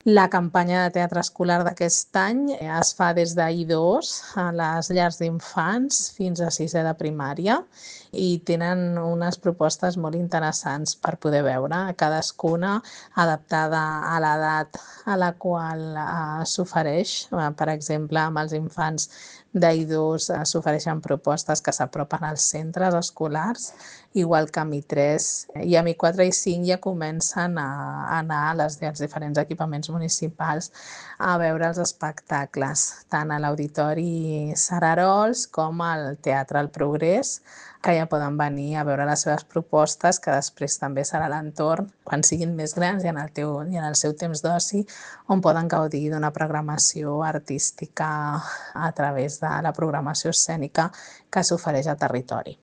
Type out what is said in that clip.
La campanya de teatre escolar d'aquest any es fa des d'I2 a les llars d'infants fins a sisè de primària i tenen unes propostes molt interessants per poder veure, cadascuna adaptada a l'edat a la qual s'ofereix. Per exemple, amb els infants d'I2 s'ofereixen propostes que s'apropen als centres escolars, igual que amb I3 i amb I4 i I5 ja comencen a anar als diferents equipaments municipals a veure els espectacles, tant a l'Auditori Sararols com al Teatre El Progrés, que ja poden venir a veure les seves propostes, que després també serà l'entorn, quan siguin més grans i en el seu temps d'oci, on poden gaudir d'una programació artística a través de la programació escènica que s'ofereix al territori.